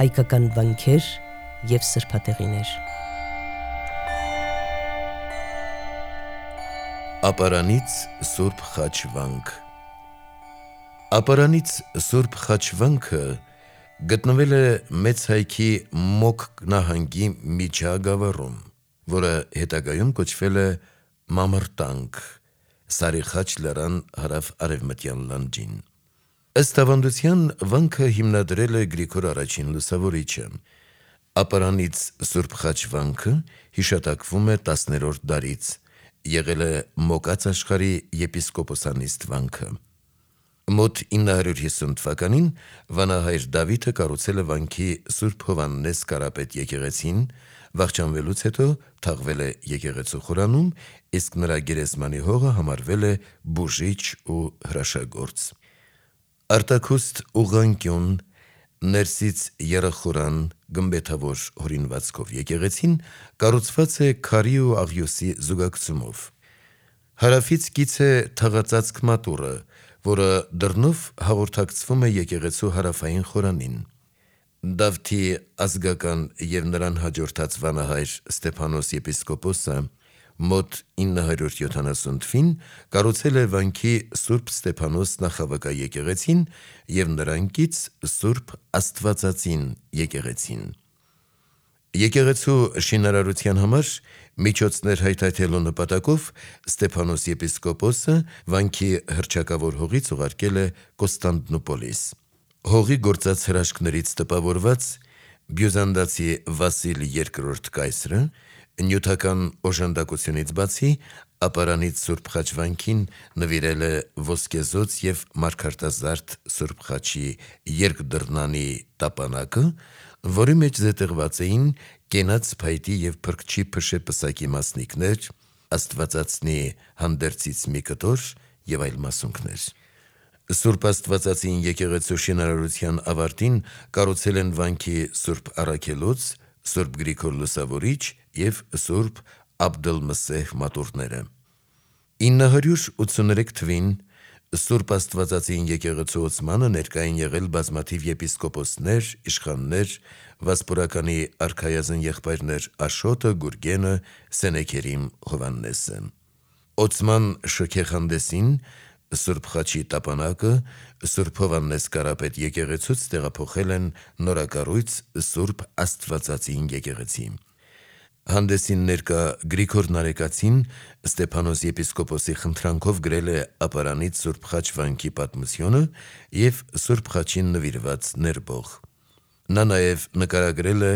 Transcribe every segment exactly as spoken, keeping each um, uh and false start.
հայկական վանքեր և սրբատեղիներ։ Ապարանից Սուրբ Խաչ վանք։ Ապարանից Սուրբ Խաչ վանքը գտնվել է Մեծ Հայքի Մոք նահանգի միջագավառում, որը հետագայում կոչվել է Մամրտանք, Սարիխաչ լեռան հարավ-արևմտյան լանջին։ Ըստ ավանդության, վանքը հիմնադրել է Գրիգոր առաջին Լուսավորիչը։ Ապարանից Սուրբ Խաչ վանքը հիշատակվում է տասներորդ դարից, եղել է Մոկած աշխարհի եպիսկոպոսանիստ վանքը։ Մոտ ինը հարյուր հիսուն թվականին վանահայր Դավիթը կառուցել է վանքի Սուրբ Հովհաննես Կարապետ եկեղեցին, վախճանվելուց հետո թաղվել է եկեղեցու խորանում, իսկ նրա գերեզմանի հողը համարվել է բուժիչ ու հրաշագործ։ Արտաքուստ ուղղանկյուն, ներսից եռախորան, գմբեթավոր հորինվածքով եկեղեցին կառուցված է քարի ու աղյուսի զուգակցումով։ Հարավից կից է թաղածածկ մատուռը, որը դռնով հաղորդակցվում է եկեղեցու հարավային խորանին։ Դավթի ազգական և նրան հաջորդած վանահայր Ստեփանոս եպիսկոպոսը մոտ ինը հարյուր յոթանասուն թվականին կառուցել է վանքի Սուրբ Ստեփանոս նախավկաեկեղեցին և նրան կից Սուրբ Աստվածածին եկեղեցին։ Եկեղեցու շինարարության համար միջոցներ հայթայթելու նպատակով Ստեփանոս եպիսկոպոսը վանքի հռչակավոր հողից ուղարկել է Կոստանդնուպոլիս։ Հողի գործած հրաշքներից տպավորված բյուզանդացի Վասիլ երկրորդ կայսրը նյութական օժանդակությունից բացի ապարանից Սուրբ Խաչ վանքին նվիրել է ոսկեզոծ և մարգարտազարդ Սուրբ Խաչի երկդռնանի տապանակը, որի մեջ զետեղված էին կենաց փայտի և փրկչի փշե պսակի մասնիկներ, Աստվածածնի հանդերձից մի կտոր և այլ մասունքներ։ Սուրբ Աստվածածին եկեղեցու շինարարության ավարտին կառուցել են վանքի Սուրբ Առաքելոց, Սուրբ Գրիգոր Լուսավորիչ և Սուրբ Աբդըլմսեհ մատուռները։ ինը հարյուր ութսուներեք թվականին Սուրբ Աստվածածին եկեղեցու ոցմանը ներկա են եղել բազմաթիվ եպիսկոպոսներ, իշխաններ, Վասպուրականի արքայազն եղբայրներ Աշոտը, Գուրգենը, Սենեքերիմ Հովհաննեսը։ Ոցման շքեղանդեսին Սուրբ Խաչի տապանակը Սուրբ Հովհաննես Կարապետ եկեղեցուց տեղափոխել են նորակառույց Սուրբ Աստվածածին եկեղեցի։ Հանդեսին ներկա Գրիգոր Նարեկացին Ստեփանոս եպիսկոպոսի խնդրանքով գրել է ապարանից Սուրբ Խաչ վանքի պատմությունը և Սուրբ Խաչին նվիրված ներբող։ Նա նաև նկարագրել է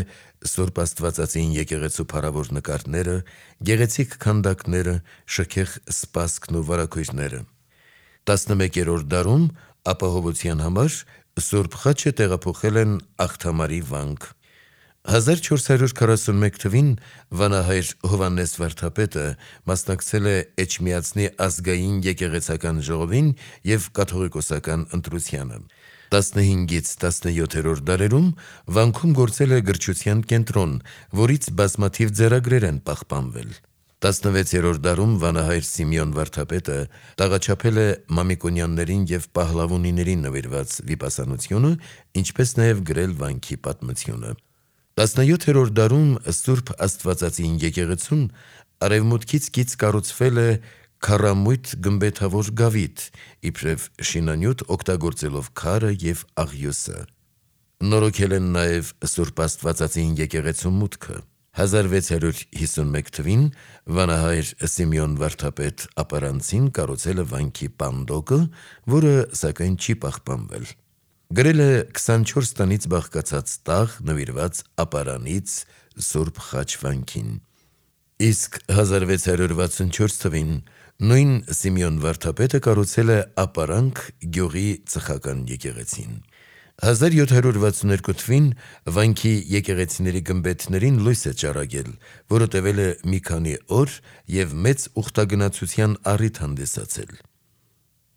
Սուրբ Աստվածածին եկեղեցու փառավոր նկարները, գեղեցիկ քանդակները, շքեղ սպասքն ու վարագույրները։ տասնմեկերորդ դարում ապահովության համար Սուրբ Խաչը տեղափոխել են Աղթամարի վանք։ հազար չորս հարյուր քառասունմեկ թվականին վանահայր Հովհաննես վարդապետը մասնակցել է Էջմիածնի ազգային եկեղեցական ժողովին և կաթողիկոսական ընտրությանը։ տասնհինգից տասնյոթերորդ դարերում վանքում գործել է գրչության կենտրոն, որից բազմաթիվ ձեռագրեր են պահպանվել։ տասնվեցերորդ դարում վանահայր Սիմեոն վարդապետը տաղաչափել է Մամիկոնյաններին և Պահլավոնիներին նվիրված վիպասանությունը, ինչպես նաև գրել վանքի պատմությունը։ տասնյոթերորդ դարում Սուրբ Աստվածածին եկեղեցուն արևմուտքից կից կառուցվել է քառամույթ գմբեթավոր գավիթ, իբրև շինանյութ օգտագործելով քարը և աղյուսը։ Նորոգել են նաև Սուրբ Աստվածածին եկեղեցու մուտքը։ հազար վեց հարյուր հիսունմեկ թվականին վանահայր Սիմեոն վարդապետ ապարանցին կառուցել է վանքի պանդոկը, որը սակայն չի պահպանվել։ Գրել է քսանչորս տանից բաղկացած տաղ նվիրված ապարանից Սուրբ Խաչ վանքին։ Իսկ հազար վեց հարյուր վաթսունչորս թվականին նույն Սիմեոն վարդապետը կառուցել է ապարանք գյուղի ծխական եկեղեցին։ հազար յոթ հարյուր վաթսուներկու թվականին վանքի եկեղեցիների գմբեթներին լույս է ճառագել, որը տևել է մի քանի օր և մեծ ուխտագնացության առիթ հանդիսացել։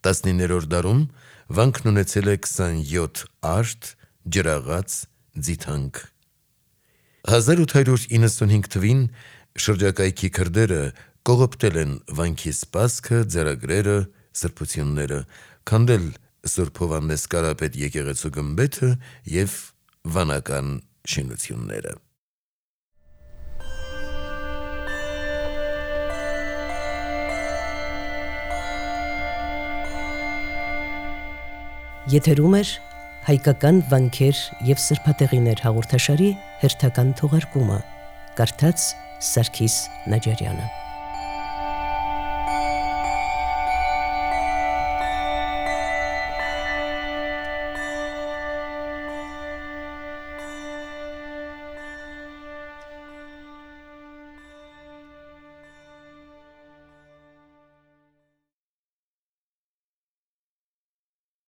տասնիններորդ դարում վանքն ունեցել է քսանյոթ արդ, ջրաղաց, ձիթանք։ հազար ութ հարյուր իննսունհինգ թվականին շրջակայքի քրդերը կողոպտել են վանքի սպասքը, ձեռագրերը, սրբությունները, քանդել Սուրբ Հովհաննես Կարապետ եկեղեցու գմբեթը և վանական շինությունները։ Եթերում էր հայկական վանքեր և սրբատեղիներ հաղորդաշարի հերթական թողարկումը, կարդաց Սարգիս Նաջարյանը։